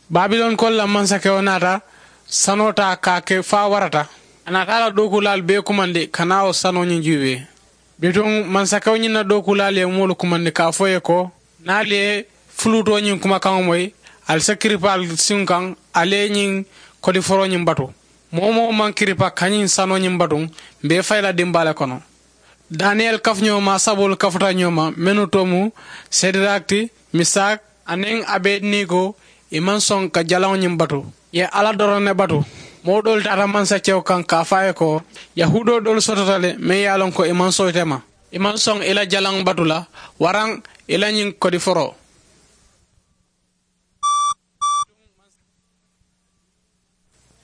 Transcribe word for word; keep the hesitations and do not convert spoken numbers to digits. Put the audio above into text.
Babilonkoolu la mansakewo naata sanoo taa ka a ke fo a warata. A naata a la dookuulaalu bee kumandi ka naa wo sanoo ñiŋ juubee. Bituŋ mansakewo ñiŋ na dookuulaalu ye moolu kumandi ka a fo ì ye ko, niŋ ali ye fuluutoo ñiŋ kumakaŋo moyi, ali si kiripaa ali siŋo kaŋ, ali ye ñiŋ kodiforoo ñiŋ batu. Moo-wo-moo maŋ kiripa ka ñiŋ sanoo ñiŋ batu, m̀ be ì fayi la dimbaa le kono. Daniyeli kafuñoo maa saboolu kafuta ñoo ma, mennu to mu sedirakiti, misaki, aniŋ abedinego. Ì maŋ soŋ ka jalaŋo ñiŋ batu. Ì ye alla doroŋ ne batu. Moo doolu taata mansakewo kaŋ ka a fo a ye ko, yahuudoo doolu sotota le meŋ ye a loŋ ko ì maŋ soyita ì ma. Ì maŋ soŋ ì la jalaŋo batu la, waraŋ ì la ñiŋ kodiforoo.